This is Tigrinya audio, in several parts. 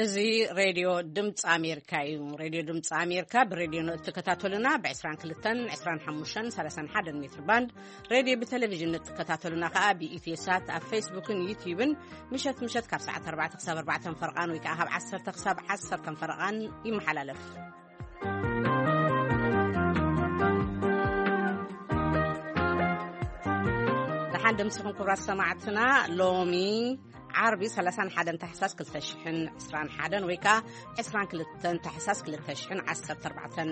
እዚ ሬድዮ ድምፂ ኣሜሪካ እዩ። ሬድዮ ድምፂ ኣሜሪካ ብሬድዮ ንእትከታተሉና ብ22፣ 25፣ 31 ሜትር ባንድ፣ ሬድዮ ብቴሌቪዥን ንእትከታተሉና ከዓ ብኢትዮ ሳት ኣብ ፌስቡክን ዩትዩብን ምሸት ምሸት ካብ ሰዓት ኣርባዕተ ክሳብ ኣርባዕተ ፈረቓን ወይ ከዓ ካብ ዓሰርተ ክሳብ ዓሰርተ ፈረቓን ይመሓላለፍ። ደሓን ደምሲኹም ክቡራት ሰማዕትና። ሎሚ ዓርቢ ሰላሳን ሓደን ታሕሳስ ክልተ ሽሕን ዕስራን ሓደን ወይ ከዓ ዕስራን ክልተን ታሕሳስ ክልተ ሽሕን ዓሰርተ ኣርባዕተን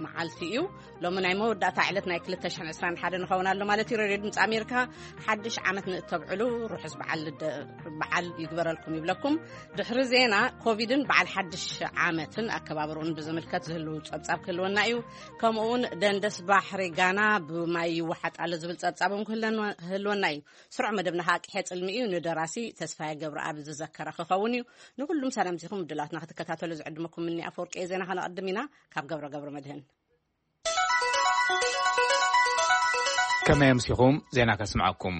መዓልቲ እዩ። ሎሚ ናይ መወዳእታ ዕለት ናይ ክልተ ሽሕን ዕስራን ሓደን ንኸውን ኣሎ ማለት እዩ። ሬድዮ ድምፂ ኣሜሪካ ሓድሽ ዓመት ንእተብዕሉ ርሑስ በዓል ልደ-፣ በዓል ይግበረልኩም ይብለኩም። ድሕሪ ዜና ኮቪድን በዓል ሓድሽ ዓመትን ኣከባብርኡን ብዝምልከት ዝህልው ጸብጻብ ክህልወና እዩ። ከምኡውን ደንደስ ባሕሪ ጋና ብማይ ይወሓጥ ኣሎ ዝብል ጸብጻብ እውን ክህለና-፣ ክህልወና እዩ። ስሩዕ መደብና ከዓ ቅሐ ጽልሚ እዩ። ንደራሲ ተስፋዬ ገብረኣብ ዝዘከረ ክኸውን እዩ። ንኩሉም ሰላምቲኹም ዕድላትና ክትከታተሉ ዝዕድመኩም ምኒ ኣፈወርቂ ዜና ከነቐድም ኢና። ካብ ገብረ ገብረ መድህን። ከመይ ኣምሲኹም? ዜና ከስምዐኩም።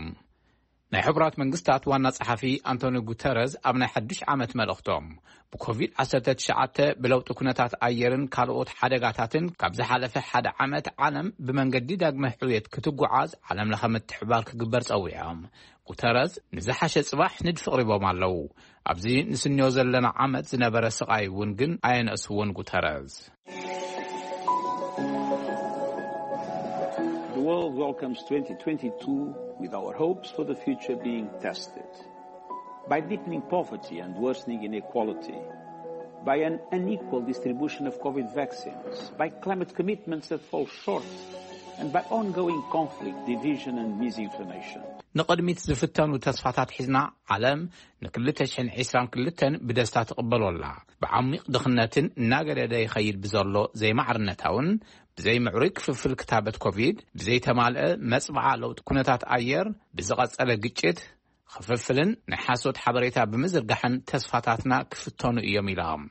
ናይ ሕቡራት መንግስታት ዋና ጸሓፊ ኣንቶኒ ጉተረዝ ኣብ ናይ ሓድሽ ዓመት መልእኽቶም፣ ብኮቪድ ዓሰርተ ትሽዓተ፣ ብለውጢ ኩነታት ኣየርን ካልኦት ሓደጋታትን ካብ ዝሓለፈ ሓደ ዓመት ዓለም ብመንገዲ ዳግመ ሕውየት ክትጓዓዝ ዓለም ለኸ ምትሕባር ክግበር ጸዊዖም። ጉተረዝ ንዝሓሸ ጽባሕ ንድፊ ኣቕሪቦም ኣለዉ። ኣብዚ ንስንዮ ዘለና ዓመት ዝነበረ ስቓይ እውን ግን ኣየነእስዎን ጉተረዝ። The world welcomes twenty twenty-two with our hopes for the future being tested. By deepening poverty and worsening inequality, by an unequal distribution of COVID vaccines, by climate commitments that fall short, and by ongoing conflict, division and misinformation. ንቕድሚት ዝፍተኑ ተስፋታት ሒዝና፣ ዓለም ን222 ብደስታ ትቕበሎ ኣላ። ብዓሚቕ ድኽነትን እናገደደ ይኸይድ ብዘሎ ዘይማዕርነታውን ብዘይምዕሩይ ክፍፍል ክታበት ኮቪድ፣ ብዘይተማልአ መጽብዓ ለውጢ ኩነታት ኣየር፣ ብዝቐጸለ ግጭት፣ ክፍፍልን ናይ ሓሶት ሓበሬታ ብምዝርጋሕን ተስፋታትና ክፍተኑ እዮም ኢሎም።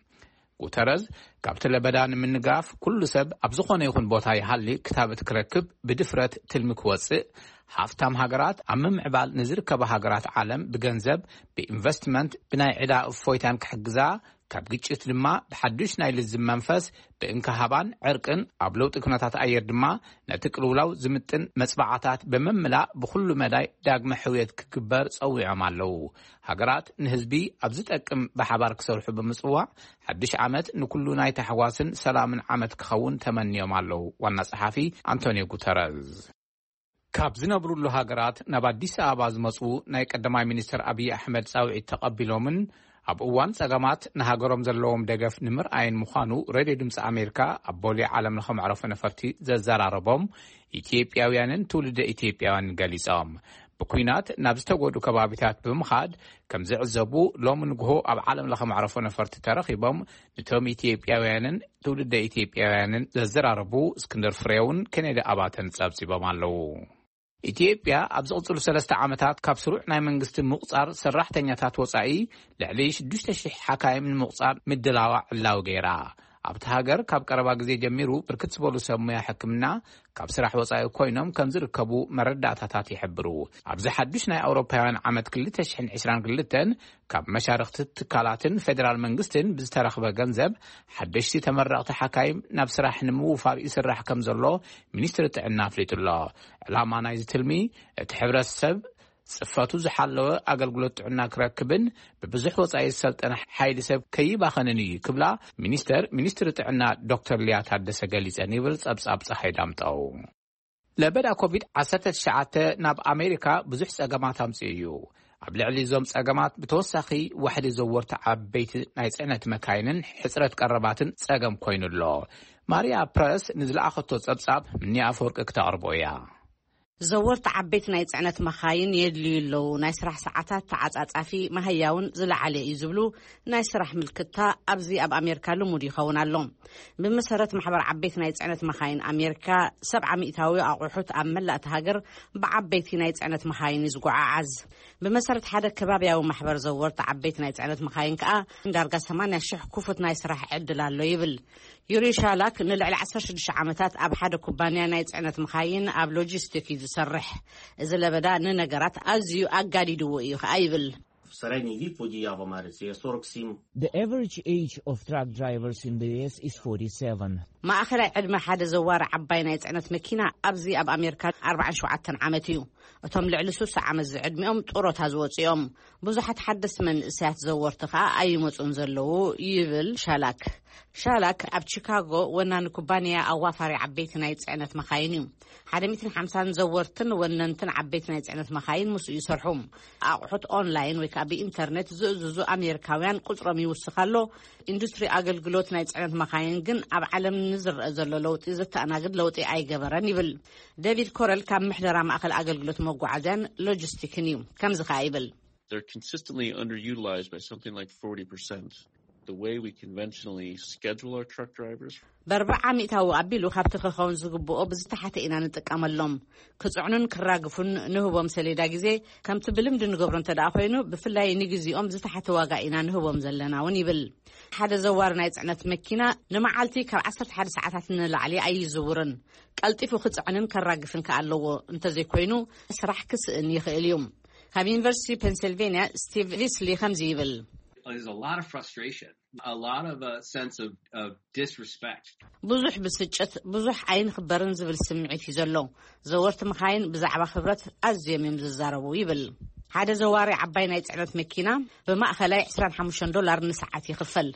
ጉተረዝ፣ ካብቲ ለበዳ ንምንጋፍ ኩሉ ሰብ ኣብ ዝኾነ ይኹን ቦታ ይሃሊ ክታበት ክረክብ ብድፍረት ትልሚ ክወጽእ፣ ሃፍታም ሃገራት ኣብ ምምዕባል ንዝርከባ ሃገራት ዓለም ብገንዘብ፣ ብኢንቨስትመንት፣ ብናይ ዕዳ እፎይታን ክሕግዛ፣ ካብ ግጭት ድማ ብሓዱሽ ናይ ልዝብ መንፈስ፣ ብእንካሃባን ዕርቅን፣ ኣብ ለውጢ ኩነታት ኣየር ድማ ነቲ ቅልውላው ዝምጥን መጽባዓታት ብምምላእ ብኹሉ መዳይ ዳግመ ሕውየት ክግበር ጸዊዖም ኣለዉ። ሃገራት ንህዝቢ ኣብ ዝጠቅም ብሓባር ክሰርሑ ብምጽዋዕ፣ ሓድሽ ዓመት ንኩሉ ናይ ታሕጓስን ሰላምን ዓመት ክኸውን ተመንዮም ኣለዉ። ዋና ጸሓፊ ኣንቶኒዮ ጉተረዝ። ካብ ዝነብሩሉ ሃገራት ናብ ኣዲስ ኣበባ ዝመጹ ናይ ቀዳማይ ሚኒስትር ኣብይ ኣሕመድ ጻውዒት ተቐቢሎምን ኣብ እዋን ጸገማት ንሃገሮም ዘለዎም ደገፍ ንምርኣይን ምዃኑ ሬድዮ ድምፂ ኣሜሪካ ኣብ ቦሌ ዓለም ለኸ መዕረፎ ነፈርቲ ዘዘራረቦም ኢትዮጵያውያንን ትውልደ ኢትዮጵያውያንን ገሊጾም። ብኲናት ናብ ዝተጎዱ ከባቢታት ብምኻድ ከም ዝዕዘቡ ሎሚ ንግሆ ኣብ ዓለም ለኸ መዕረፎ ነፈርቲ ተረኺቦም ንቶም ኢትዮጵያውያንን ትውልደ ኢትዮጵያውያንን ዘዘራረቡ እስክንድር ፍሬውን ኬኔዲ ኣባተን ጸብጺቦም ኣለዉ። ኢትዮጵያ ኣብ ዝቕጽሉ ሰለስተ ዓመታት ካብ ስሩዕ ናይ መንግስቲ ምቑጻር ሰራሕተኛታት ወጻኢ ልዕሊ ሽዱሽተ ሽሕ ሓካይም ንምቑጻር ምድላዋ ዕላዊ ገይራ። ኣብቲ ሃገር ካብ ቀረባ ግዜ ጀሚሩ ብርክት ዝበሉ ሰብ ሙያ ሕክምና ካብ ስራሕ ወጻኢ ኮይኖም ከም ዝርከቡ መረዳእታታት ይሕብሩ። ኣብዚ ሓዱሽ ናይ ኣውሮፓውያን ዓመት ክልተ ሽሕን ዕስራን ክልተን ካብ መሻርኽቲ ትካላትን ፌደራል መንግስትን ብዝተረኽበ ገንዘብ ሓደሽቲ ተመረቕቲ ሓካይም ናብ ስራሕ ንምውፋር ይስራሕ ከም ዘሎ ሚኒስትሪ ጥዕና ኣፍሊጡ ኣሎ። ዕላማ ናይዚ ትልሚ እቲ ሕብረተሰብ ጽፈቱ ዝሓለወ ኣገልግሎት ጥዕና ክረክብን ብብዙሕ ወጻኢ ዝሰልጠነ ሓይሊ ሰብ ከይባኸንን እዩ ክብላ ሚኒስተር ሚኒስትሪ ጥዕና ዶክተር ሊያ ታደሰ ገሊጸን ይብል ጸብጻብ ጸሓይ ዳምጠው። ለበዳ ኮቪድ ዓሰርተ ትሽዓተ ናብ ኣሜሪካ ብዙሕ ጸገማት ኣምጽኡ እዩ። ኣብ ልዕሊ እዞም ጸገማት ብተወሳኺ ዋሕዲ ዘወርቲ ዓበይቲ ናይ ጽዕነት መካይንን ሕጽረት ቀረባትን ጸገም ኮይኑ ኣሎ። ማርያ ፕረስ ንዝለኣኸቶ ጸብጻብ ምኒ ኣፈወርቂ ክተቕርቦ እያ። ዘወርቲ ዓበይቲ ናይ ጽዕነት መኻይን የድልዩ ኣለዉ። ናይ ስራሕ ሰዓታት ተዓጻጻፊ፣ መሃያውን ዝለዓለ እዩ ዝብሉ ናይ ስራሕ ምልክታ ኣብዚ ኣብ ኣሜሪካ ልሙድ ይኸውን ኣሎ። ብመሰረት ማሕበር ዓበይቲ ናይ ጽዕነት መኻይን ኣሜሪካ፣ ሰብዓ ሚእታዊ ኣቑሑት ኣብ መላእ እታ ሃገር ብዓበይቲ ናይ ጽዕነት መኻይን እዩ ዝጓዓዓዝ። ብመሰረት ሓደ ከባብያዊ ማሕበር ዘወርቲ ዓበይቲ ናይ ጽዕነት መኻይን ከኣ ዳርጋ ሰማንያ ሽሕ ክፉት ናይ ስራሕ ዕድል ኣሎ ይብል። ዩሪ ሻላክ ንልዕሊ ዓሰርተ ሽዱሽተ ዓመታት ኣብ ሓደ ኩባንያ ናይ ጽዕነት መኻይን ኣብ ሎጂስቲክ እዩ ዝሰርሕ። እዚ ለበዳ ንነገራት ኣዝዩ ኣጋዲድዎ እዩ ከኣ ይብል። Средний вік водія в Америці є сорок сім. The average age of truck drivers in the U S is forty-seven. ማእኸላይ ዕድመ ሓደ ዘዋሪ ዓባይ ናይ ጽዕነት መኪና ኣብዚ ኣብ ኣሜሪካ ኣርባዓን ሸውዓተን ዓመት እዩ። እቶም ልዕሊ ስሳ ዓመት ዝዕድሚኦም ጡሮታ ዝወጹ እዮም። ብዙሓት ሓደስቲ መንእሰያት ዘወርቲ ከኣ ኣይመጹን ዘለዉ ይብል ሻላክ። ሻላክ ኣብ ቺካጎ ወናኒ ኩባንያ ኣዋፋሪ ዓበይቲ ናይ ጽዕነት መኻይን እዩ። ሓደ ሚእትን ሓምሳን ዘወርትን ወነንትን ዓበይቲ ናይ ጽዕነት መኻይን ምስኡ ይሰርሑ። ኣቑሑት ኦንላይን ወይ ከዓ ብኢንተርኔት ዝእዝዙ ኣሜሪካውያን ቁጽሮም ይውስኽ ኣሎ። ኢንዱስትሪ ኣገልግሎት ናይ ጽዕነት መኻይን ግን ኣብ ዓለም ንዝረአ ዘሎ ለውጢ ዘተኣናግድ ለውጢ ኣይገበረን ይብል። ዴቪድ ኮረል ካብ ምሕደራ ማእኸል ኣገልግሎት መጓዓዝያን ሎጂስቲክን እዩ። ከምዚ ከኣ ይብል። They're consistently underutilized by something like forty percent. The way we conventionally schedule our truck drivers. በርብዓ ሚእታዊ ኣቢሉ ካብቲ ክኸውን ዝግብኦ ብዝተሓተ ኢና ንጥቀመሎም። ክጽዕኑን ክራግፉን ንህቦም ሰሌዳ ግዜ፣ ከምቲ ብልምዲ ንገብሮ እንተ ደኣ ኮይኑ፣ ብፍላይ ንግዜኦም ዝተሓተ ዋጋ ኢና ንህቦም ዘለና እውን ይብል። ሓደ ዘዋሪ ናይ ጽዕነት መኪና ንመዓልቲ ካብ ዓሰርተ ሓደ ሰዓታት ንላዕሊ ኣይዝውርን። ቀልጢፉ ክጽዕንን ከራግፍን ከኣ ኣለዎ። እንተዘይኮይኑ፣ ስራሕ ክስእን ይኽእል እዩ። ካብ ዩኒቨርሲቲ ፔንሲልቬንያ ስቲቭ ሊስሊ ከምዚ ይብል። There's a lot of frustration, a lot of a sense of, of disrespect. ብዙሕ ብስጭት፣ ብዙሕ ኣይንኽበርን ዝብል ስምዒት እዩ ዘሎ። ዘወርቲ መኻይን ብዛዕባ ክብረት ኣዝዮም እዮም ዝዛረቡ ይብል። ሓደ ዘዋሪ ዓባይ ናይ ጽዕነት መኪና ብማእኸላይ ዕስራን ሓሙሽተን ዶላር ንሰዓት ይኽፈል።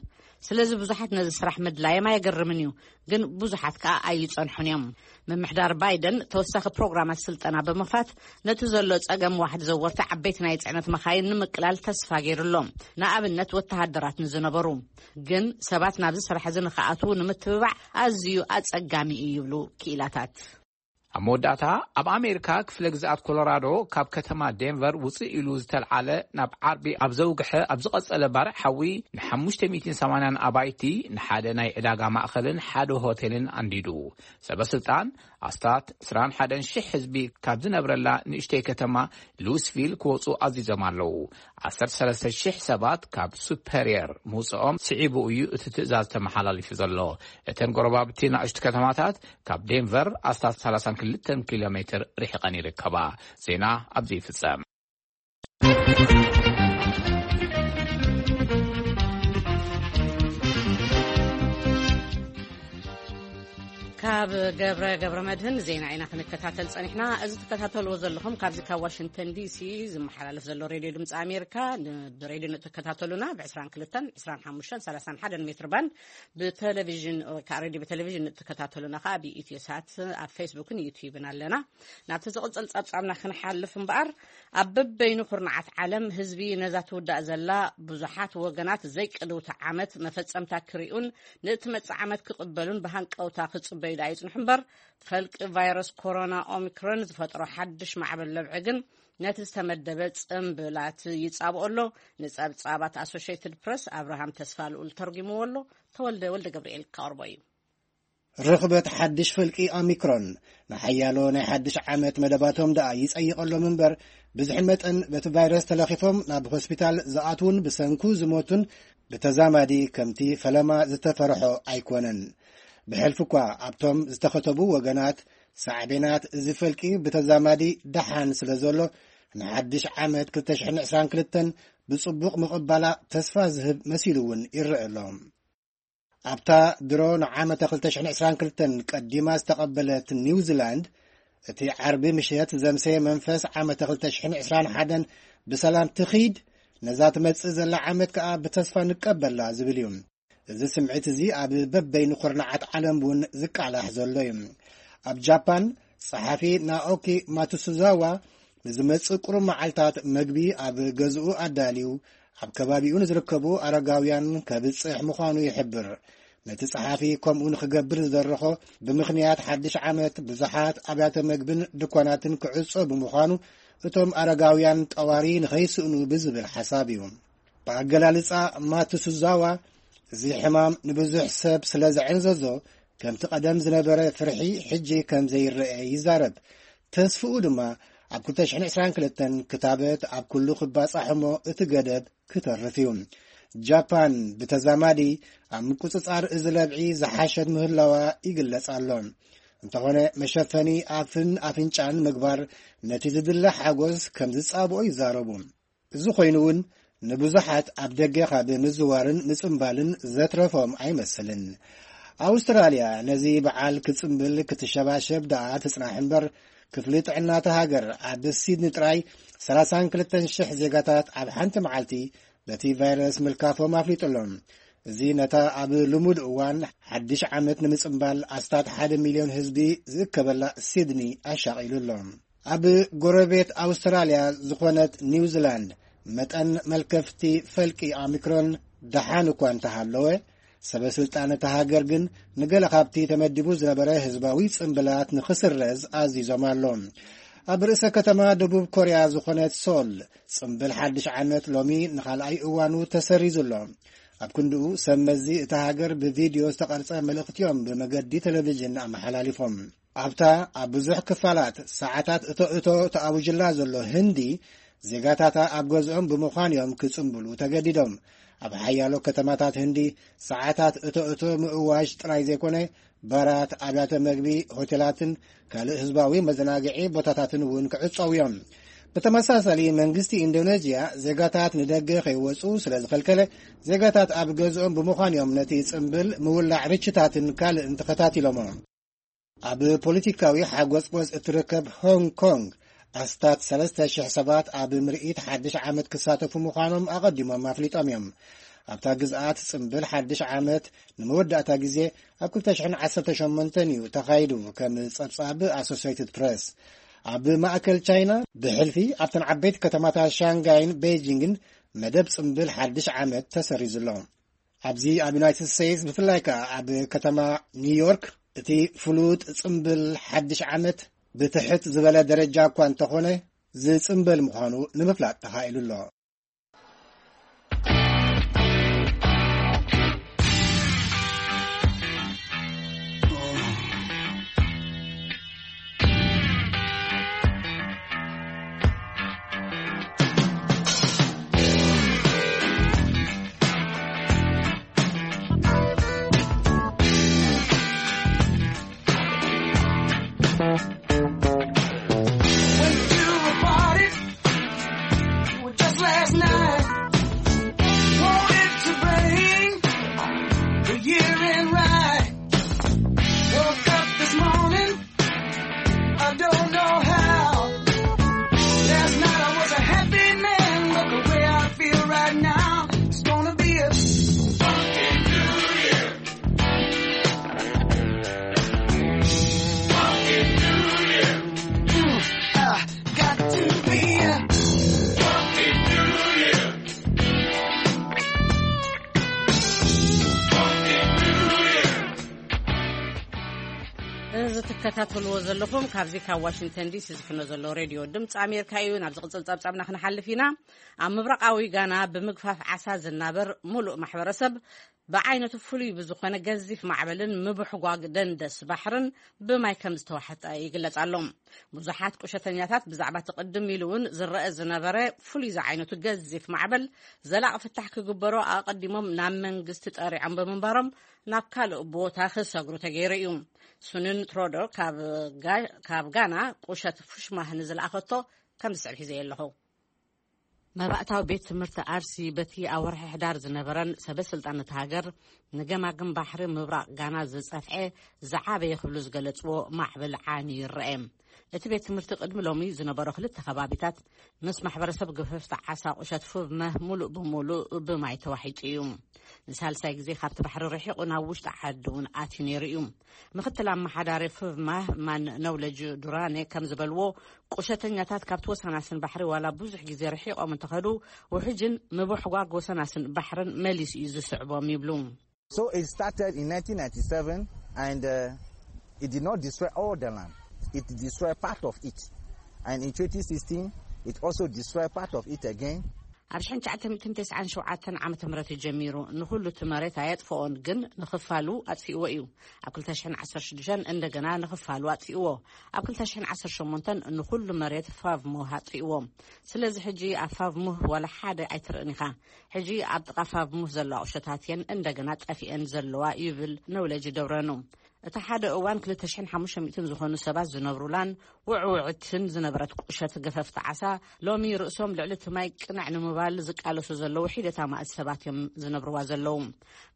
ስለዚ ብዙሓት ነዚ ስራሕ ምድላዮም ኣየገርምን እዩ፣ ግን ብዙሓት ከኣ ኣይጸንሑን እዮም። ምምሕዳር ባይደን ተወሳኺ ፕሮግራማት ስልጠና ብምኽፋት ነቲ ዘሎ ጸገም ዋሕዲ ዘወርቲ ዓበይቲ ናይ ጽዕነት መኻይን ንምቅላል ተስፋ ገይሩ ኣሎ። ንኣብነት ወተሃደራት ንዝነበሩ። ግን ሰባት ናብዚ ስራሕ እዚ ንኽኣትዉ ንምትብባዕ ኣዝዩ ኣጸጋሚ እዩ ይብሉ ክኢላታት። ኣብ መወዳእታ፣ ኣብ ኣሜሪካ ክፍለ ግዝኣት ኮሎራዶ ካብ ከተማ ዴንቨር ውፅእ ኢሉ ዝተልዓለ ናብ ዓርቢ ኣብ ዘውግሐ ኣብ ዝቐጸለ ባርዕ ሓዊ ንሓሙሽተ ሚእትን ሰማንያን ኣባይቲ፣ ንሓደ ናይ ዕዳጋ ማእኸልን ሓደ ሆቴልን ኣንዲዱ። ሰበ ስልጣን ኣስታት ዕስራን ሓደን ሽሕ ህዝቢ ካብ ዝነብረላ ንእሽተይ ከተማ ሉስቪል ክወፁ ኣዚዞም ኣለዉ። ዓሰርተ ሰለስተ ሽሕ ሰባት ካብ ሱፐርየር ምውፅኦም ስዒቡ እዩ እቲ ትእዛዝ ተመሓላሊፉ ዘሎ። እተን ጎረባብቲ ናእሽቱ ከተማታት ካብ ዴንቨር ኣስታት ሰላሳን ክልተን ኪሎ ሜትር ርሒቐን ይርከባ። ዜና ኣብዚ ይፍጸም። ካብ ገብረ፣ ገብረ መድህን ዜና ኢና ክንከታተል ጸኒሕና። እዚ ትከታተልዎ ዘለኹም ካብዚ ካብ ዋሽንግተን ዲሲ ዝመሓላለፍ ዘሎ ሬድዮ ድምፂ ኣሜሪካ፣ ን-፣ ብሬድዮ ንትከታተሉና ብ ዕስራን ክልተን፣ ዕስራን ሓሙሽተን፣ ሰላሳን ሓደን ሜትር ባንድ ብቴሌቪዥን፣ ወይ ከዓ ሬድዮ ብቴሌቪዥን ንትከታተሉና ከዓ ብኢትዮ ሳት ኣብ ፌስቡክን ዩትዩብን ኣለና። ናብቲ ዝቕጽል ጸብጻብና ክንሓልፍ እምበኣር፣ ኣብ በበይኑ ኩርናዓት ዓለም ህዝቢ ነዛ ትውዳእ ዘላ ብዙሓት ወገናት ዘይቅድውቲ ዓመት መፈጸምታ ክሪኡን ንእትመጽእ ዓመት ክቕበሉን ብሃንቀውታ ክጽበዩ ደኣ ይጽንሑ እምበር፣ ፈልቂ ቫይረስ ኮሮና ኦሚክሮን ዝፈጥሮ ሓድሽ ማዕበል ለብዒ ግን ነቲ ዝተመደበ ጽምብላት ይጻብኦ ኣሎ። ንጸብጻባት ኣሶሽየትድ ፕረስ ኣብርሃም ተስፋ ልኡል ተርጒምዎ ኣሎ። ተወልደ ወልደ ገብርኤል ከቕርቦ እዩ። ርኽበት ሓድሽ ፈልቂ ኦሚክሮን ንሓያሎ ናይ ሓድሽ ዓመት መደባቶም ደኣ ይጸይቐሎም እምበር፣ ብዝሒ መጠን በቲ ቫይረስ ተለኺፎም ናብ ሆስፒታል ዝኣትዉን ብሰንኩ ዝሞቱን ብተዛማዲ ከምቲ ፈለማ ዝተፈርሖ ኣይኮነን። ብሕልፊ እኳ ኣብቶም ዝተኸተቡ ወገናት፣ ሳዕቤናት እዚ ፈልቂ ብተዛማዲ ደሓን ስለ ዘሎ፣ ንሓድሽ ዓመት ክልተ ሽሕን ዕስራን ክልተን ብጽቡቕ ምቕባላ ተስፋ ዝህብ መሲሉ እውን ይረአ ኣሎ። ኣብታ ድሮ ንዓመተ ክልተ ሽሕን ዕስራን ክልተን ቀዲማ ዝተቐበለት ኒውዚላንድ፣ እቲ ዓርቢ ምሸት ዘምሰየ መንፈስ ዓመተ ክልተ ሽሕን ዕስራን ሓደን ብሰላም ትኺድ፣ ነዛ ትመጽእ ዘላ ዓመት ከኣ ብተስፋ ንቀበላ ዝብል እዩ። እዚ ስምዒት እዚ ኣብ በበይኑ ኩርናዓት ዓለም እውን ዝቃላሕ ዘሎ እዩ። ኣብ ጃፓን፣ ጸሓፊ ናኦኪ ማትሱዛዋ ንዝመጽእ ቁሩብ መዓልታት መግቢ ኣብ ገዝኡ ኣዳልዩ፣ ኣብ ከባቢኡ ንዝርከቡ ኣረጋውያን ከብጽሕ ምዃኑ ይሕብር። ነቲ ጸሓፊ ከምኡ ንኽገብር ዝደረኾ፣ ብምኽንያት ሓድሽ ዓመት ብዙሓት ኣብያተ መግብን ድኳናትን ክዕጾ ብምዃኑ፣ እቶም ኣረጋውያን ጠዋሪ ንኸይስእኑ ብዝብል ሓሳብ እዩ። ብኣገላልጻ ማትሱዛዋ፣ እዚ ሕማም ንብዙሕ ሰብ ስለ ዘዕንዘዞ፣ ከምቲ ቀደም ዝነበረ ፍርሒ ሕጂ ከም ዘይረአ ይዛረብ። ተስፍኡ ድማ ኣብ ክልተ ሽሕን ዕስራን ክልተን ክታበት ኣብ ኩሉ ክባጻሕ እሞ እቲ ገደብ ክተርፍ እዩ። ጃፓን ብተዛማዲ ኣብ ምቁጽጻር እዚ ለብዒ ዝሓሸት ምህላዋ ይግለጽ ኣሎ። እንተኾነ መሸፈኒ ኣፍን ኣፍንጫን ምግባር ነቲ ዝድለ ሓጎስ ከም ዝጻብኦ ይዛረቡ። እዚ ኮይኑ እውን ንብዙሓት ኣብ ደገ ካብ ምዝዋርን ምጽምባልን ዘትረፎም ኣይመስልን። ኣውስትራልያ ነዚ በዓል ክጽምብል ክትሸባሸብ ደኣ ትጽናሕ እምበር፣ ክፍሊ ጥዕና እታ ሃገር ኣብ ሲድኒ ጥራይ ሰላሳን ክልተን ሽሕ ዜጋታት ኣብ ሓንቲ መዓልቲ በቲ ቫይረስ ምልካፎም ኣፍሊጡ ኣሎ። እዚ ነታ ኣብ ልሙድ እዋን ሓድሽ ዓመት ንምጽምባል ኣስታት ሓደ ሚልዮን ህዝቢ ዝእከበላ ሲድኒ ኣሻቒሉ ኣሎ። ኣብ ጎረቤት ኣውስትራልያ ዝኾነት ኒውዚላንድ መጠን መልከፍቲ ፈልቂ ኦሚክሮን ደሓን እኳ እንተሃለወ፣ ሰበ ስልጣን እታ ሃገር ግን ንገለ ካብቲ ተመዲቡ ዝነበረ ህዝባዊ ጽምብላት ንኽስረዝ ኣዚዞም ኣሎ። ኣብ ርእሰ ከተማ ደቡብ ኮርያ ዝኾነት ሶል፣ ጽምብል ሓድሽ ዓመት ሎሚ ንኻልኣይ እዋኑ ተሰሪዙ ኣሎ። ኣብ ክንድኡ ሰብ መዚ እታ ሃገር ብቪድዮ ዝተቐርጸ መልእኽቲ እዮም ብመገዲ ቴሌቪዥን ኣመሓላሊፎም። ኣብታ ኣብ ብዙሕ ክፋላት ሰዓታት እቶ እቶ ተኣዊጅላ ዘሎ ህንዲ፣ ዜጋታታ ኣብ ገዝኦም ብምዃን እዮም ክጽምብሉ ተገዲዶም። ኣብ ሓያሎ ከተማታት ህንዲ ሰዓታት እቶ እቶ ምእዋጅ ጥራይ ዘይኮነ፣ ባራት፣ ኣብያተ መግቢ፣ ሆቴላትን ካልእ ህዝባዊ መዘናግዒ ቦታታትን እውን ክዕጸው እዮም። ብተመሳሳሊ መንግስቲ ኢንዶኔዥያ ዜጋታት ንደገ ከይወጹ ስለ ዝኸልከለ፣ ዜጋታት ኣብ ገዝኦም ብምዃን እዮም ነቲ ጽምብል ምውላዕ ርችታትን ካልእን ተኸታቲሎሞ። ኣብ ፖለቲካዊ ሓጎጽጎጽ እትርከብ ሆንግ ኮንግ ኣስታት ሰለስተ ሽሕ ሰባት ኣብ ምርኢት ሓድሽ ዓመት ክሳተፉ ምዃኖም ኣቐዲሞም ኣፍሊጦም እዮም። ኣብታ ግዝኣት ጽምብል ሓድሽ ዓመት ንመወዳእታ ግዜ ኣብ ክልተ ሽሕን ዓሰርተ ሸሞንተን እዩ ተኻይዱ፣ ከም ጸብጻብ ኣሶሲየትድ ፕረስ። ኣብ ማእከል ቻይና ብሕልፊ ኣብተን ዓበይቲ ከተማታት ሻንጋይን ቤጂንግን መደብ ጽምብል ሓድሽ ዓመት ተሰሪዙ ኣሎ። ኣብዚ ኣብ ዩናይትድ ስቴትስ፣ ብፍላይ ከኣ ኣብ ከተማ ኒውዮርክ፣ እቲ ፍሉጥ ጽምብል ሓድሽ ዓመት ብትሕት ዝበለ ደረጃ እኳ እንተኾነ ዝጽምበል ምዃኑ ንምፍላጥ ተኻኢሉ ኣሎ። Went to a party just last night. Wanted to bring the year in right. Woke up this morning, I don't know how. Last night I was a happy man, but the way I feel right now, it's gonna be a funky new year. Funky new year. Mm, I got to be a funky new year. Funky new year. እዚ ትከታተልዎ ዘለኹም ካብዚ ካብ ዋሽንግተን ዲሲ ዝፍኖ ዘሎ ሬድዮ ድምፂ ኣሜሪካ እዩ። ናብ ዝቕፅል ፀብፃብና ክንሓልፍ ኢና። ኣብ ምብራቓዊ ጋና ብምግፋፍ ዓሳ ዝናበር ሙሉእ ማሕበረሰብ ብዓይነቱ ፍሉይ ብዝኾነ ገዚፍ ማዕበልን ምብሕጓግ ደንደስ ባሕርን ብማይ ከም ዝተዋሕጠ ይግለጽ ኣሎ። ብዙሓት ቁሸተኛታት ብዛዕባ እቲ ቅድም ኢሉ እውን ዝረአ ዝነበረ ፍሉይ ዝዓይነቱ ገዚፍ ማዕበል ዘላቒ ፍታሕ ክግበሮ ኣቐዲሞም ናብ መንግስቲ ጠሪዖም ብምንባሮም ናብ ካልእ ቦታ ክሰግሩ ተገይሩ እዩ። ሱንን ትሮዶ ካብ ጋ-፣ ካብ ጋና ቁሸት ፉሽማህ ንዝለኣኸቶ ከም ዝስዕብ ሒዘዮ ኣለኹ። መባእታዊ ቤት ትምህርቲ ኣርሲ በቲ ኣብ ወርሒ ሕዳር ዝነበረን ሰበ ስልጣን እቲ ሃገር ንገማግም ባሕሪ ምብራቕ ጋና ዝጸፍዐ ዝዓበየ ክብሉ ዝገለጽዎ ማዕበል ዓንዩ ይረአ። እቲ ቤት ትምህርቲ ቅድሚ ሎሚ ዝነበሮ ክልተ ከባቢታት ምስ ማሕበረሰብ ገፈፍቲ ዓሳ ቁሸት ፉብመህ ሙሉእ ብሙሉእ ብማይ ተዋሒጡ እዩ። ንሳልሳይ ግዜ ካብቲ ባሕሪ ርሒቑ ናብ ውሽጢ ዓዲ እውን ኣትዩ ነይሩ እዩ። ምክትል ኣመሓዳሪ ፉብማህ ማን ነውለጅ ዱራኔ ከም ዝበልዎ፣ ቁሸተኛታት ካብቲ ወሰናስን ባሕሪ ዋላ ብዙሕ ግዜ ርሒቖም እንተኸዱ፣ ውሕጅን ምብሕጓግ ወሰናስን ባሕርን መሊሱ እዩ ዝስዕቦም ይብሉ። So it started in nineteen ninety-seven and uh, it did not destroy all the land. It destroyed part of it. And in twenty sixteen, it also destroyed part of it again. ኣብ ሽሕን ትሽዓተ ሚእትን ተስዓን ሸውዓተን ዓመተ ምህረት እዩ ጀሚሩ። ንኹሉ እቲ መሬት ኣየጥፍኦን፣ ግን ንኽፋሉ ኣጥፊእዎ እዩ። ኣብ ክልተ ሽሕን ዓሰርተ ሽዱሽተን እንደገና ንኽፋሉ ኣጥፊእዎ። ኣብ ክልተ ሽሕን ዓሰርተ ሸሞንተን ንኹሉ መሬት ፋቭሙህ ኣጥፊእዎ። ስለዚ ሕጂ ኣብ ፋቭሙህ ዋላ ሓደ ኣይትርእን ኢኻ። ሕጂ ኣብ ጥቓ ፋቭሙህ ዘለዋ ቁሸታት እየን እንደገና ጠፊአን ዘለዋ ይብል ነውለጅ ደብረኑ። እቲ ሓደ እዋን ክልተ ሽሕን ሓሙሽተ ሚእትን ዝኾኑ ሰባት ዝነብሩላን ውዕውዕትን ዝነበረት ቁሸት ገፈፍቲ ዓሳ፣ ሎሚ ርእሶም ልዕሊ እቲ ማይ ቅንዕ ንምባል ዝቃለሱ ዘለዉ ሒደት ኣማእት ሰባት እዮም ዝነብርዋ ዘለዉ።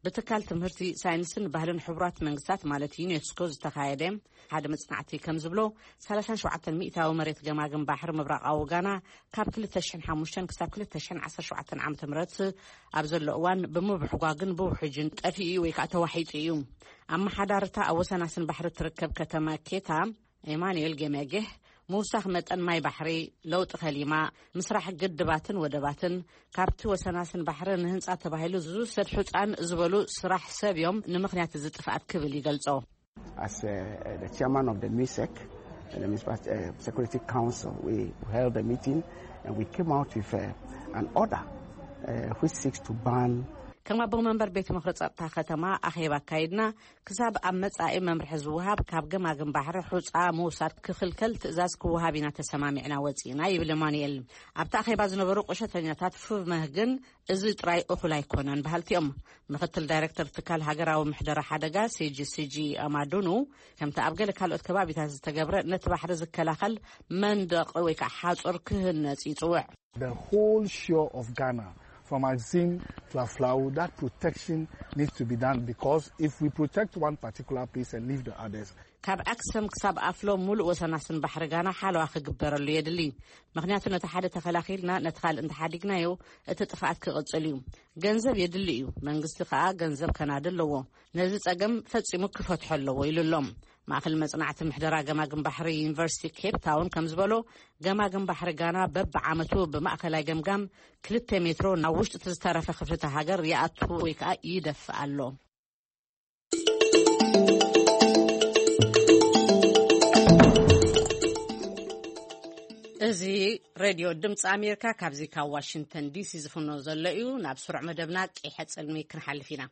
ብትካል ትምህርቲ፣ ሳይንስን ባህልን ሕቡራት መንግስታት፣ ማለት ዩኔስኮ፣ ዝተኻየደ ሓደ መጽናዕቲ ከም ዝብሎ፣ ሰላሳን ሸውዓተን ሚእታዊ መሬት ገማግም ባሕሪ ምብራቓዊ ጋና ካብ ክልተ ሽሕን ሓሙሽተን ክሳብ ክልተ ሽሕን ዓሰርተ ሸውዓተን ዓመተ ምህረት ኣብ ዘሎ እዋን ብምብሕጓግን ብውሕጅን ጠፊኡ ወይ ከዓ ተዋሒጡ እዩ። ኣመሓዳርታ ኣብ ወሰናስን ባሕሪ ትርከብ ከተማ ኬታ፣ ኤማኑኤል ጌሜጌህ፣ ምውሳኽ መጠን ማይ ባሕሪ፣ ለውጢ ከሊማ፣ ምስራሕ ግድባትን ወደባትን፣ ካብቲ ወሰናስን ባሕሪ ንህንጻ ተባሂሉ ዝውሰድ ሑጻን ዝበሉ ስራሕ ሰብ እዮም ንምኽንያት እዚ ጥፍኣት ክብል ይገልጾ። As uh, the chairman of the MISEC, the Municipal uh, Security Council, we held a meeting and we came out with uh, an order uh, which seeks to ban ከም ኣቦ መንበር ቤት ምኽሪ ጸጥታ ከተማ ኣኼባ ኣካይድና፣ ክሳብ ኣብ መጻኢ መምርሒ ዝወሃብ ካብ ገማግም ባሕሪ ሑጻ ምውሳድ ክኽልከል ትእዛዝ ክወሃብ ኢና ተሰማሚዕና ወጺእና፣ ይብል ማኑኤል። ኣብቲ ኣኼባ ዝነበሩ ቁሸተኛታት ፉቭመህ ግን እዚ ጥራይ እኹል ኣይኮነን በሃልቲ እዮም። ምኽትል ዳይሬክተር ትካል ሃገራዊ ምሕደራ ሓደጋ፣ ሲጂ ሲጂ፣ ኣማዱኑ፣ ከምቲ ኣብ ገለ ካልኦት ከባቢታት ዝተገብረ ነቲ ባሕሪ ዝከላኸል መንደቕ ወይ ከዓ ሓጹር ክህነጽ ይጽውዕ። The whole shore of Ghana, from Axim to Aflao, that protection needs to be done, because if we protect one particular place and leave the others, ካብ ኣክሰም ክሳብ ኣፍሎ ሙሉእ ወሰናስን ባሕሪ ጋና ሓለዋ ክግበረሉ የድሊ። ምኽንያቱ ነቲ ሓደ ተኸላኺልና ነቲ ካልእ እንተሓዲግናዮ እቲ ጥፍኣት ክቕጽል እዩ። ገንዘብ የድሊ እዩ፣ መንግስቲ ከኣ ገንዘብ ከናዲ ኣለዎ። ነዚ ጸገም ፈጺሙ ክፈትሖ ኣለዎ ኢሉ ኣሎ። ማእከል መጽናዕቲ ምሕደራ ገማግም ባሕሪ ዩኒቨርሲቲ ኬፕ ታውን ከም ዝበሎ፣ ገማግም ባሕሪ ጋና በብዓመቱ ብማእከላይ ገምጋም ክልተ ሜትሮ ናብ ውሽጢ እቲ ዝተረፈ ክፍልተ ሃገር ይኣቱ ወይ ከኣ ይደፍእ ኣሎ። እዚ ሬድዮ ድምፂ ኣሜሪካ ካብዚ ካብ ዋሽንግተን ዲሲ ዝፍኖ ዘሎ እዩ። ናብ ስሩዕ መደብና ቂሐ ጽልሚ ክንሓልፍ ኢና።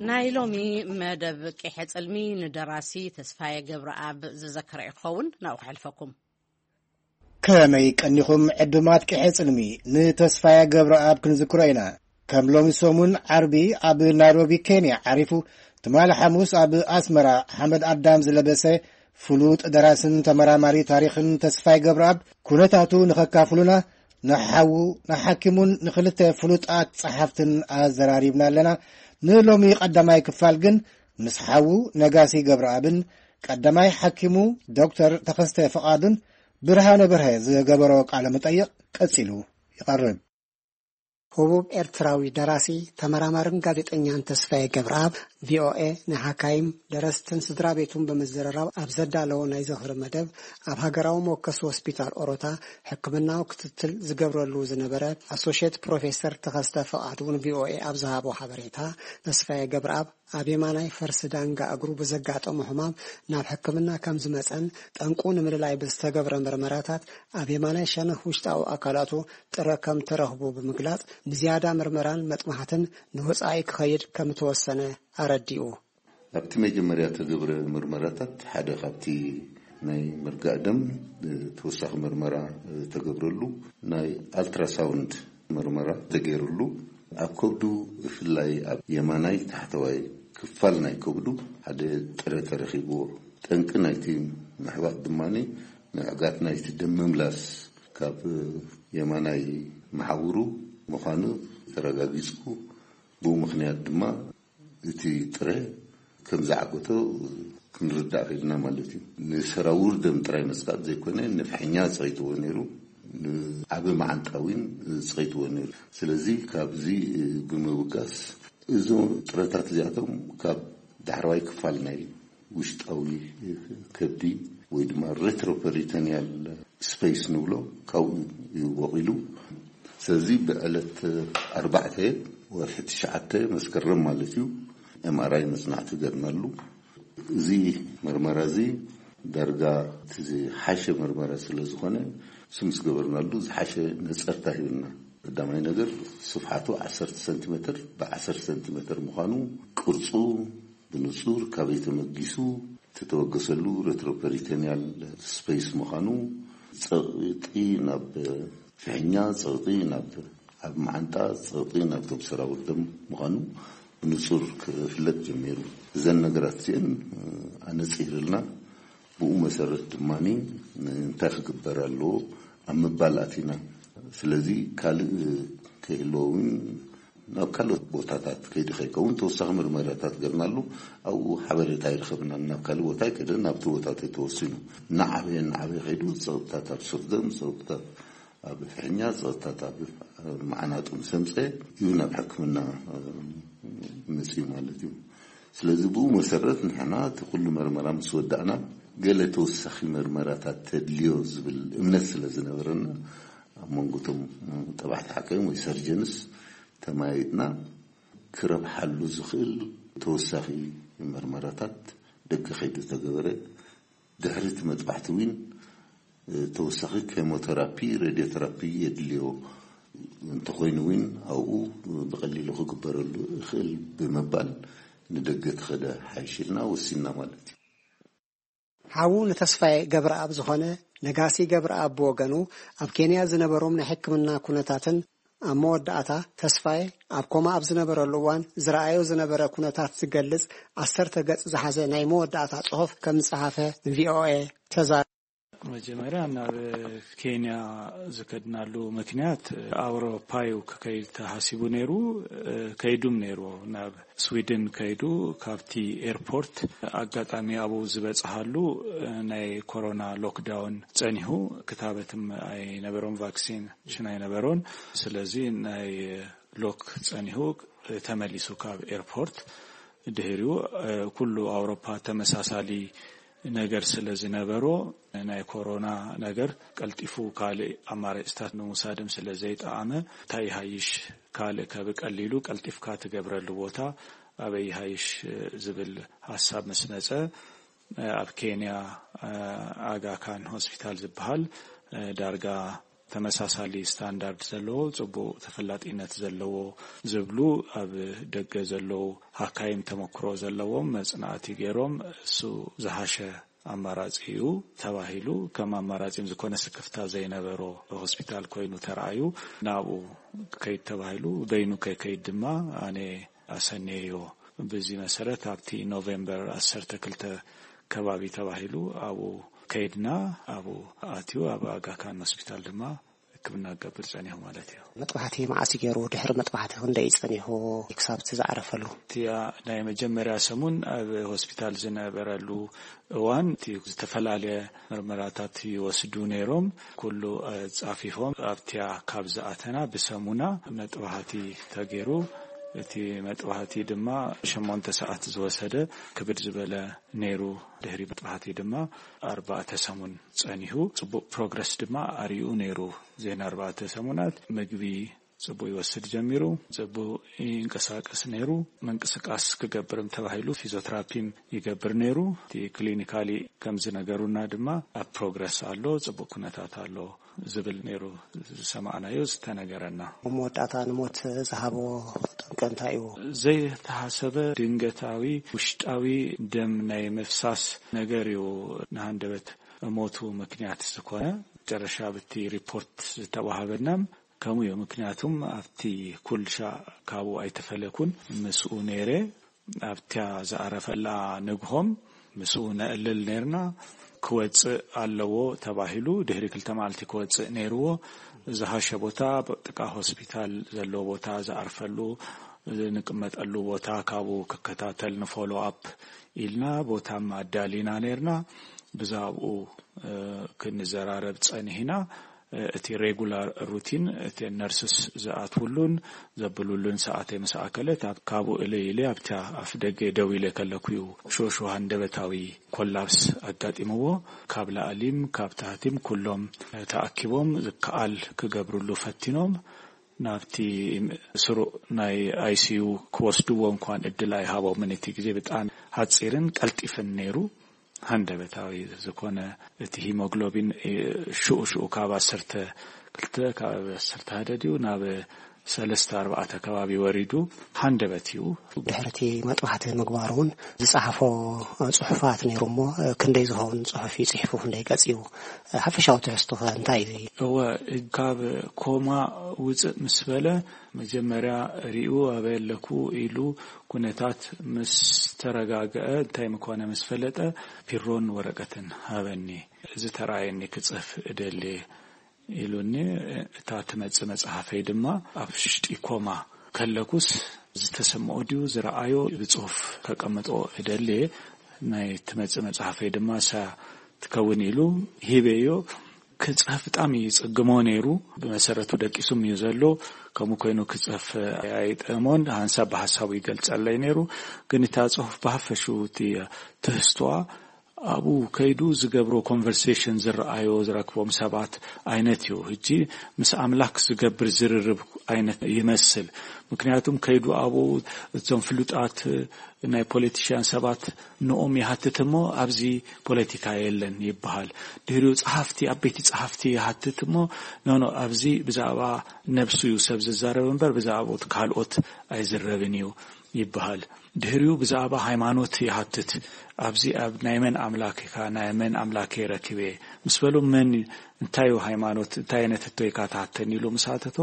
ናይ ሎሚ መደብ ቂሐ ጽልሚ ንደራሲ ተስፋዬ ገብረኣብ ዝዘከረ ይኸውን። ናብኡ ክሕልፈኩም። ከመይ ቀኒኹም ዕዱማት ቂሐ ጽልሚ? ንተስፋዬ ገብረኣብ ክንዝክሮ ኢና። ከም ሎሚ ሰሙን ዓርቢ ኣብ ናይሮቢ ኬንያ ዓሪፉ፣ ትማሊ ሓሙስ ኣብ ኣስመራ ሓመድ ኣዳም ዝለበሰ ፍሉጥ ደራስን ተመራማሪ ታሪኽን ተስፋይ ገብረኣብ ኩነታቱ ንኸካፍሉና ንሓዉ፣ ንሓኪሙን ንኽልተ ፍሉጣት ጸሓፍትን ኣዘራሪብና ኣለና። ንሎሚ ቀዳማይ ክፋል ግን ምስ ሓዉ ነጋሲ ገብረኣብን ቀዳማይ ሓኪሙ ዶክተር ተኸስተ ፍቓዱን ብርሃነ በርሀ ዝገበሮ ቃለ መጠይቕ ቀጺሉ ይቐርብ። ህቡብ ኤርትራዊ ደራሲ፣ ተመራማርን ጋዜጠኛን ተስፋዬ ገብረኣብ፣ ቪኦኤ ንሓካይም፣ ደረስትን ስድራ ቤቱን ብምዝርራብ ኣብ ዘዳለዎ ናይ ዝኽሪ መደብ፣ ኣብ ሃገራዊ መወከሲ ሆስፒታል ኦሮታ ሕክምናዊ ክትትል ዝገብረሉ ዝነበረ ኣሶሼት ፕሮፌሰር ተኸስተ ፍቓዱ ንቪኦኤ ኣብ ዝሃቦ ሓበሬታ፣ ተስፋዬ ገብረኣብ ኣብ የማናይ ፈርሲ ዳንጋ እግሩ ብዘጋጠሞ ሕማም ናብ ሕክምና ከም ዝመጸን ጠንቁ ንምልላይ ብዝተገብረ መርመራታት ኣብ የማናይ ሸነኽ ውሽጣዊ ኣካላቱ ጥረ ከም ተረኽቡ ብምግላጽ፣ ንዝያዳ ምርመራን መጥባሕትን ንወጻኢ ክኸይድ ከም እተወሰነ ኣረዲኡ። ኣብቲ መጀመርያ ተገብረ ምርመራታት ሓደ ካብቲ ናይ ምርጋእ ደም ተወሳኺ ምርመራ ተገብረሉ ናይ ኣልትራሳውንድ ምርመራ ተገይሩሉ፣ ኣብ ከብዱ ብፍላይ ኣብ የማናይ ታሕተዋይ ክፋል ናይ ከብዱ ሓደ ጥረ ተረኺብዎ። ጠንቂ ናይቲ ምሕባጥ ድማ ምዕጋት ናይቲ ደም ምምላስ ካብ የማናይ መሓውሩ ምዃኑ ተረጋጊጹ። ብኡ ምኽንያት ድማ እቲ ጥረ ከም ዝዓገቶ ክንርዳእ ኽኢልና ማለት እዩ። ንሰራውር ደም ጥራይ መስካት ዘይኮነ፣ ንፍሕኛ ጸቒጥዎ ነይሩ፣ ንዓቢ መዓንጣ እውን ጸቒጥዎ ነይሩ። ስለዚ ካብዚ ብምብጋስ፣ እዞም ጥረታት እዚኣቶም ካብ ዳሕረዋይ ክፋል ናይ ውሽጣዊ ከብዲ ወይ ድማ ሬትሮፐሪቶኒያል ስፔስ ንብሎ፣ ካብኡ እዩ ወቒሉ። ስለዚ ብዕለት ኣርባዕተ ወርሒ ትሽዓተ መስከረም ማለት እዩ፣ ኤምኣርኣይ መጽናዕቲ ገርናሉ። እዚ ምርመራ እዚ ዳርጋ እቲ ዝሓሸ ምርመራ ስለ ዝኾነ፣ እሱ ምስ ገበርናሉ ዝሓሸ ነጸርታ ሂብና። ቀዳማይ ነገር፣ ስፍሓቱ ዓሰርተ ሰንቲሜትር ብዓሰርተ ሰንቲሜትር ምዃኑ፣ ቅርጹ ብንጹር ካበይ ተመጊሱ፣ እቲ ተበገሰሉ ሬትሮፐሪቶኒያል ስፔስ ምዃኑ፣ ጸቕጢ ናብ ፍሕኛ፣ ጸቕጢ ናብ ኣብ መዓንጣ፣ ጸቕጢ ናብቶም ሰራውር ደም ምዃኑ ብንጹር ክፍለጥ ጀሚሩ። እዘን ነገራት እዚአን ኣነጺርልና፣ ብኡ መሰረት ድማ እንታይ ክግበር ኣለዎ ኣብ ምባል ኣቲና። ስለዚ ካልእ ከይህልዎ እውን ናብ ካልኦት ቦታታት ከይዱ ከይከውን ተወሳኺ ምርመራታት ገርናሉ። ኣብኡ ሓበሬታ ኣይረኸብናን። ናብ ካልእ ቦታ ኣይከደን፣ ናብቲ ቦታ ተተወሲኑ እናዓበየ እናዓበየ ከይዱ ጸቕጥታት ኣብ ሱር ደም፣ ጸቕጥታት ኣብ ፍሕኛ፣ ጸቕጥታት ኣብ መዓናጡ ምስ ኣምጸ እዩ ናብ ሕክምና መጽዩ ማለት እዩ። ስለዚ ብኡ መሰረት ንሕና እቲ ኩሉ መርመራ ምስ ወዳእና፣ ገለ ተወሳኺ መርመራታት ተድልዮ ዝብል እምነት ስለ ዝነበረና፣ ኣብ መንጎ እቶም ጠባሕቲ ሓካይም ወይ ሰርጀንስ ተማይጥና፣ ክረብሓሉ ዝኽእል ተወሳኺ መርመራታት ደገ ከይዱ ተገበረ። ድሕሪ እቲ መጥባሕቲ እውን ተወሳኺ ኬሞቴራፒ፣ ሬድዮቴራፒ የድልዮ እንተኾይኑ እውን ኣብኡ ብቐሊሉ ክግበረሉ ይኽእል ብምባል ንደገ ተኸደ ሓይሽ ኢልና ወሲንና ማለት እዩ። ሓዉ ንተስፋዬ ገብረኣብ ዝኾነ ነጋሲ ገብረኣብ ብወገኑ፣ ኣብ ኬንያ ዝነበሮም ናይ ሕክምና ኩነታትን ኣብ መወዳእታ ተስፋዬ ኣብ ኮማ ኣብ ዝነበረሉ እዋን ዝረኣዮ ዝነበረ ኩነታት ዝገልጽ ዓሰርተ ገጽ ዝሓዘ ናይ መወዳእታ ጽሑፍ ከም ዝጸሓፈ ንቪኦኤ ተዛሪቡ። መጀመርያ ናብ ኬንያ ዝከድናሉ ምክንያት ኣውሮፓ እዩ ክከይድ ተሃሲቡ ነይሩ። ከይዱም ነይርዎ ናብ ስዊድን ከይዱ፣ ካብቲ ኤርፖርት ኣጋጣሚ ኣብኡ ዝበጽሃሉ ናይ ኮሮና ሎክዳውን ጸኒሑ፣ ክታበትም ኣይነበሮም፣ ቫክሲን ሽን ኣይነበሮን። ስለዚ ናይ ሎክ ጸኒሑ ተመሊሱ ካብ ኤርፖርት። ድሕሪኡ ኩሉ ኣውሮፓ ተመሳሳሊ ነገር ስለ ዝነበሮ፣ ናይ ኮሮና ነገር ቀልጢፉ ካልእ ኣማራጭታት ንምውሳድም ስለ ዘይጠዓመ፣ እንታይ ይሃይሽ ካልእ ከብቀሊሉ ቀልጢፍካ ትገብረሉ ቦታ ኣበይ ይሃይሽ ዝብል ሓሳብ ምስ መጸ፣ ኣብ ኬንያ ኣጋ ካን ሆስፒታል ዝበሃል ዳርጋ ተመሳሳሊ ስታንዳርድ ዘለዎ፣ ጽቡቕ ተፈላጢነት ዘለዎ ዝብሉ ኣብ ደገ ዘለዉ ሃካይም ተመክሮ ዘለዎም መጽናዕቲ ገይሮም፣ እሱ ዝሃሸ ኣማራጺ እዩ ተባሂሉ። ከም ኣማራጺ ዝኾነ ስክፍታ ዘይነበሮ ሆስፒታል ኮይኑ ተራእዩ፣ ናብኡ ከይድ ተባሂሉ። በይኑ ከይከይድ ድማ ኣነ ኣሰነዮ። ብዚ መሰረት ኣብቲ ኖቬምበር ዓሰርተ ክልተ ከባቢ ተባሂሉ ኣብኡ ከይድና፣ ኣብኡ ኣትዩ ኣብ ኣጋካን ሆስፒታል ድማ ሕክምና ክገብር ጸኒሑ ማለት እዩ። መጥባሕቲ መዓስ ገይሩ? ድሕሪ መጥባሕቲ ክንደይ ጸኒሑ ክሳብ እቲ ዝዓረፈሉ? እቲያ ናይ መጀመርያ ሰሙን ኣብ ሆስፒታል ዝነበረሉ እዋን እቲ ዝተፈላለየ ምርመራታት ይወስዱ ነይሮም። ኩሉ ጻፊፎም ኣብቲያ ካብ ዝኣተና ብሰሙና መጥባሕቲ ተገይሩ። እቲ መጥባሕቲ ድማ ሸሞንተ ሰዓት ዝወሰደ ክብድ ዝበለ ነይሩ። ድሕሪ መጥባሕቲ ድማ ኣርባዕተ ሰሙን ጸኒሑ። ጽቡቕ ፕሮግረስ ድማ ኣርእዩ ነይሩ። ዜና ኣርባዕተ ሰሙናት ምግቢ ጽቡቕ ይወስድ ጀሚሩ። ጽቡቕ ይንቀሳቀስ ነይሩ። ምንቅስቃስ ክገብርም ተባሂሉ ፊዚዮትራፒም ይገብር ነይሩ። እቲ ክሊኒካሊ ከም ዝነገሩና ድማ ኣብ ፕሮግረስ ኣሎ፣ ጽቡቕ ኩነታት ኣሎ ዝብል ነይሩ ዝሰማዕናዮ ዝተነገረና። ኣብ መወዳእታ ንሞት ዝሃቦ ጠንቂ እንታይ እዩ? ዘይተሃሰበ ድንገታዊ ውሽጣዊ ደም ናይ ምፍሳስ ነገር እዩ ንሃንደበት ሞቱ ምክንያት ዝኾነ። መጨረሻ ብቲ ሪፖርት ዝተዋሃበና ከምኡ እዩ። ምክንያቱም ኣብቲ ኩልሻ ካብኡ ኣይተፈለኩን፣ ምስኡ ነይረ። ኣብታ ዝኣረፈላ ንግሆም ምስኡ ነዕልል ነይርና። ክወጽእ ኣለዎ ተባሂሉ፣ ድሕሪ ክልተ መዓልቲ ክወጽእ ነይርዎ። ዝሃሸ ቦታ ጥቃ ሆስፒታል ዘለዎ ቦታ ዝኣርፈሉ፣ ንቅመጠሉ ቦታ ካብኡ ክከታተል ንፎሎ ኣፕ ኢልና ቦታም ኣዳሊና ነይርና። ብዛብኡ ክንዘራረብ ጸኒሕና። እቲ ሬጉላር ሩቲን እቲ ነርስስ ዝኣትውሉን ዘብሉሉን ሰዓተይ ምስ ኣከለት፣ ኣብ ካብኡ እለይ ኢለ ኣብታ ኣፍ ደገ ደው ኢለ ከለኩ እዩ ሹሹ ሃንደበታዊ ኮላፕስ ኣጋጢምዎ። ካብ ላዕሊም ካብ ታህቲም ኩሎም ተኣኪቦም ዝከኣል ክገብርሉ ፈቲኖም። ናብቲ ስሩዕ ናይ ኣይሲዩ ክወስድዎ እንኳን እድል ኣይሃቦምን። እቲ ግዜ ብጣዕሚ ሓጺርን ቀልጢፍን ነይሩ። ሃንደበታዊ ዝኾነ እቲ ሂሞግሎቢን ሽኡ ሽኡ ካብ ዓሰርተ ክልተ ካብ ዓሰርተ ሓደ ድዩ ናብ ሰለስተ ኣርባዕተ ከባቢ ወሪዱ ሃንደበት እዩ። ድሕርቲ መጥባሕቲ ምግባሩ እውን ዝጸሓፎ ጽሑፋት ነይሩ እሞ፣ ክንደይ ዝኸውን ጽሑፍ እዩ ጽሒፉ፣ ክንደይ ገጽ እዩ? ሓፈሻዊ ትሕዝቶ ከ እንታይ እዩ? እወ፣ ካብ ኮማ ውጽእ ምስ በለ፣ መጀመርያ ሪኡ ኣበይ ኣለኩ ኢሉ ኩነታት ምስ ተረጋግአ፣ እንታይ ምኮነ ምስ ፈለጠ፣ ፒሮን ወረቀትን ሃበኒ። እዚ ተራእየኒ ክጽሕፍ እደሊ ኢሉኒ። እታ ትመጽእ መጽሓፈይ ድማ ኣብ ሽጢ ኮማ ከለኩስ ዝተሰምኦ ድዩ ዝረኣዮ ብጽሁፍ ከቀምጦ እደሊ፣ ናይ ትመጽእ መጽሓፈይ ድማ እሳ ትከውን ኢሉ ሂበዮ። ክጽሕፍ ብጣዕሚ ይጽግሞ ነይሩ። ብመሰረቱ ደቂሱም እዩ ዘሎ። ከምኡ ኮይኑ ክጽሕፍ ኣይጠሞን፣ ሓንሳብ ብሓሳቡ ይገልጸለይ ነይሩ። ግን እታ ጽሑፍ ብሃፈሹ እቲ ትህዝቶኣ ኣብኡ ከይዱ ዝገብሮ ኮንቨርሴሽን፣ ዝረኣዮ ዝረክቦም ሰባት ዓይነት እዩ። ሕጂ ምስ ኣምላክ ዝገብር ዝርርብ ዓይነት ይመስል። ምክንያቱም ከይዱ ኣብኡ እዞም ፍሉጣት ናይ ፖለቲሽያን ሰባት ንኦም ይሃትት እሞ፣ ኣብዚ ፖለቲካ የለን ይበሃል። ድሕሪኡ ጸሓፍቲ፣ ዓበይቲ ጸሓፍቲ ይሃትት እሞ፣ ኖኖ፣ ኣብዚ ብዛዕባ ነብሱ እዩ ሰብ ዝዛረብ እምበር ብዛዕባ ካልኦት ኣይዝረብን እዩ ይበሃል። ድሕሪኡ ብዛዕባ ሃይማኖት ይሃትት። ኣብዚ ኣብ ናይ መን ኣምላክ ኢካ? ናይ መን ኣምላክ እየ ረኪበ? ምስ በሉ፣ መን፣ እንታይ እዩ ሃይማኖት? እንታይ ዓይነት ሕቶ ኢካ ትሃተኒ? ኢሉ ምስ ሃተቶ፣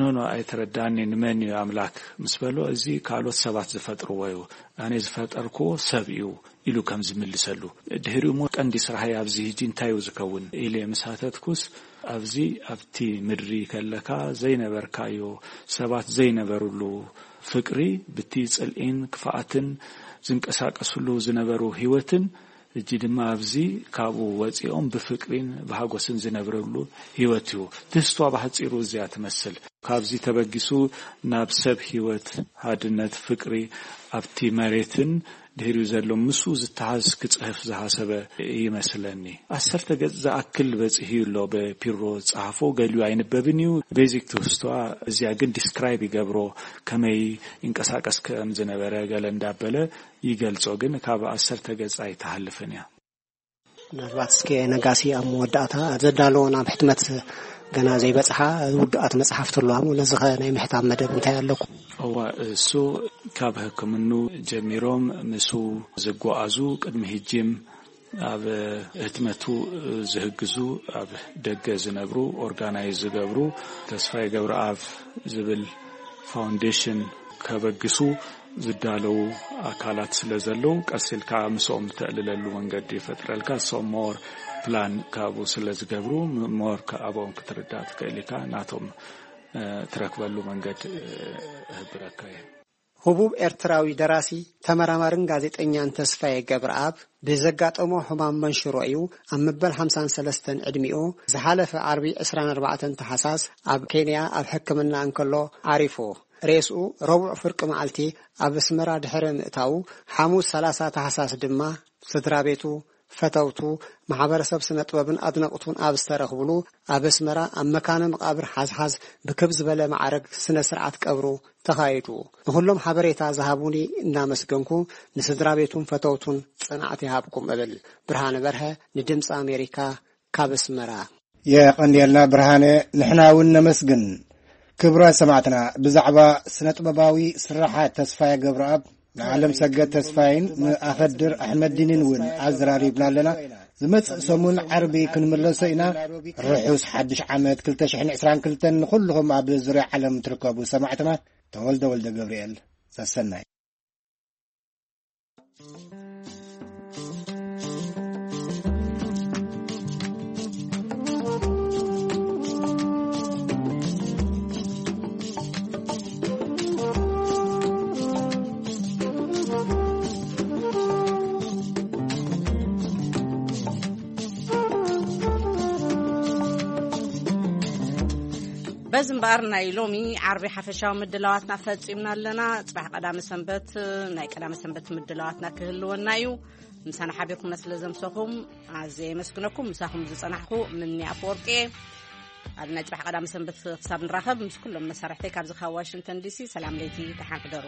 ኖኖ፣ ኣይተረዳኒ፣ ንመን እዩ ኣምላክ? ምስ በሉ፣ እዚ ካልኦት ሰባት ዝፈጥርዎ እዩ፣ ኣነ ዝፈጠርክዎ ሰብ እዩ ኢሉ ከም ዝምልሰሉ። ድሕሪኡ እሞ፣ ቀንዲ ስራሐይ ኣብዚ ሕጂ እንታይ እዩ ዝከውን? ኢለ ምስ ሃተትኩስ፣ ኣብዚ ኣብቲ ምድሪ ከለካ ዘይነበርካዮ፣ ሰባት ዘይነበርሉ ፍቅሪ፣ ብቲ ጽልኢን ክፍኣትን ዝንቀሳቀስሉ ዝነበሩ ህይወትን፣ ሕጂ ድማ ኣብዚ ካብኡ ወጺኦም ብፍቅሪን ብሃጎስን ዝነብርሉ ህይወት እዩ። ትህዝቷ ብሓጺሩ እዚኣ ትመስል። ካብዚ ተበጊሱ ናብ ሰብ ህይወት፣ ሃድነት፣ ፍቅሪ ኣብቲ መሬትን ድሕሪኡ ዘሎ ምስኡ ዝተሓዝ ክጽሕፍ ዝሓሰበ ይመስለኒ። ዓሰርተ ገጽ ዝኣክል በጺሑ ኣሎ ብፒሮ ዝጸሓፎ፣ ገሊኡ ኣይንበብን እዩ። ቤዚክ ትህዝቷ እዚኣ ግን ዲስክራይብ ይገብሮ፣ ከመይ ይንቀሳቀስ ከም ዝነበረ ገለ እንዳበለ ይገልጾ፣ ግን ካብ ዓሰርተ ገጽ ኣይትሓልፍን እያ። ምናልባት እስከ ነጋሲ ኣብ መወዳእታ፣ ኣብ ዘዳለዎ ናብ ሕትመት ገና ዘይበጽሓ ውዱኣት መጽሓፍቲ ኣለዋ እሞ፣ ነዚ ኸ ናይ ምሕታም መደብ እንታይ ኣለኩም? እዋ፣ እሱ ካብ ሕክምኑ ጀሚሮም ምስኡ ዝጓዓዙ፣ ቅድሚ ሕጂም ኣብ ህትመቱ ዝህግዙ፣ ኣብ ደገ ዝነብሩ፣ ኦርጋናይዝ ዝገብሩ፣ ተስፋዬ ገብረኣብ ዝብል ፋውንዴሽን ከበግሱ ዝዳለዉ ኣካላት ስለ ዘለዉ፣ ቀስ ኢልካ ምስኦም እተዕልለሉ መንገዲ ይፈጥረልካ። እሶም ሞር ፕላን ካብኡ ስለ ዝገብሩ፣ ም-፣ ሞር ከ-፣ ኣብኦም ክትርዳእ ትኽእል ኢኻ። ናቶም፣ እ፣ ትረክበሉ መንገድ፣ እ፣ እህብረካ እየ። ህቡብ ኤርትራዊ ደራሲ፣ ተመራማርን ጋዜጠኛን ተስፋዬ ገብረኣብ ብዘጋጠሞ ሕማም መንሽሮ እዩ ኣብ መበል ሓምሳን ሰለስተን ዕድሚኡ ዝሓለፈ ዓርቢ ዕስራን ኣርባዕተን ተሓሳስ ኣብ ኬንያ ኣብ ሕክምና እንከሎ ዓሪፉ። ሬስኡ ረቡዕ ፍርቂ መዓልቲ ኣብ ኣስመራ ድሕሪ ምእታዉ፣ ሓሙስ ሰላሳ ታሕሳስ ድማ ስድራ ቤቱ፣ ፈተውቱ፣ ማሕበረሰብ ስነ ጥበብን ኣድነቕቱን ኣብ ዝተረኽብሉ፣ ኣብ ኣስመራ ኣብ መካነ መቓብር ሓዝሓዝ ብክብ ዝበለ ማዕረግ ስነ ስርዓት ቀብሩ ተኻይዱ። ንኹሎም ሓበሬታ ዝሃቡኒ እናመስገንኩ፣ ንስድራ ቤቱን ፈተውቱን ጽንዓት ይሃብኩም እብል። ብርሃነ በርሀ፣ ንድምፂ ኣሜሪካ፣ ካብ ኣስመራ። የቐንየልና ብርሃነ፣ ንሕና እውን ነመስግን። ክቡራት ሰማዕትና፣ ብዛዕባ ስነ ጥበባዊ ስራሓት ተስፋዬ ገብረኣብ፣ ንዓለም ሰገድ ተስፋይን ንኣኸድር ኣሕመዲንን እውን ኣዘራሪብና ኣለና። ዝመጽእ ሰሙን ዓርቢ ክንምለሶ ኢና። ርሑስ ሓድሽ ዓመት ክልተ ሽሕን ዕስራን ክልተን ንኹልኹም ኣብ ዙርያ ዓለም ትርከቡ ሰማዕትና። ተወልደ ወልደ ገብርኤል፣ ሰሰናይ። በዚ እምበኣር ናይ ሎሚ ዓርቢ ሓፈሻዊ ምድላዋትና ፈጺምና ኣለና። ጽባሕ ቀዳመ ሰንበት ናይ ቀዳመ ሰንበት ምድላዋትና ክህልወና እዩ። ምሳና ሓቢርኩምና ስለ ዘምሰኹም ኣዝየ የመስግነኩም። ምሳኹም ዝጸናሕኩ ምኒ ኣፈወርቂ እየ። ኣብ ናይ ጽባሕ ቀዳመ ሰንበት ክሳብ ንራኸብ ምስ ኩሎም መሳርሕተይ ካብዚ ካብ ዋሽንግተን ዲሲ ሰላም ለይቲ፣ ደሓን ሕደሩ።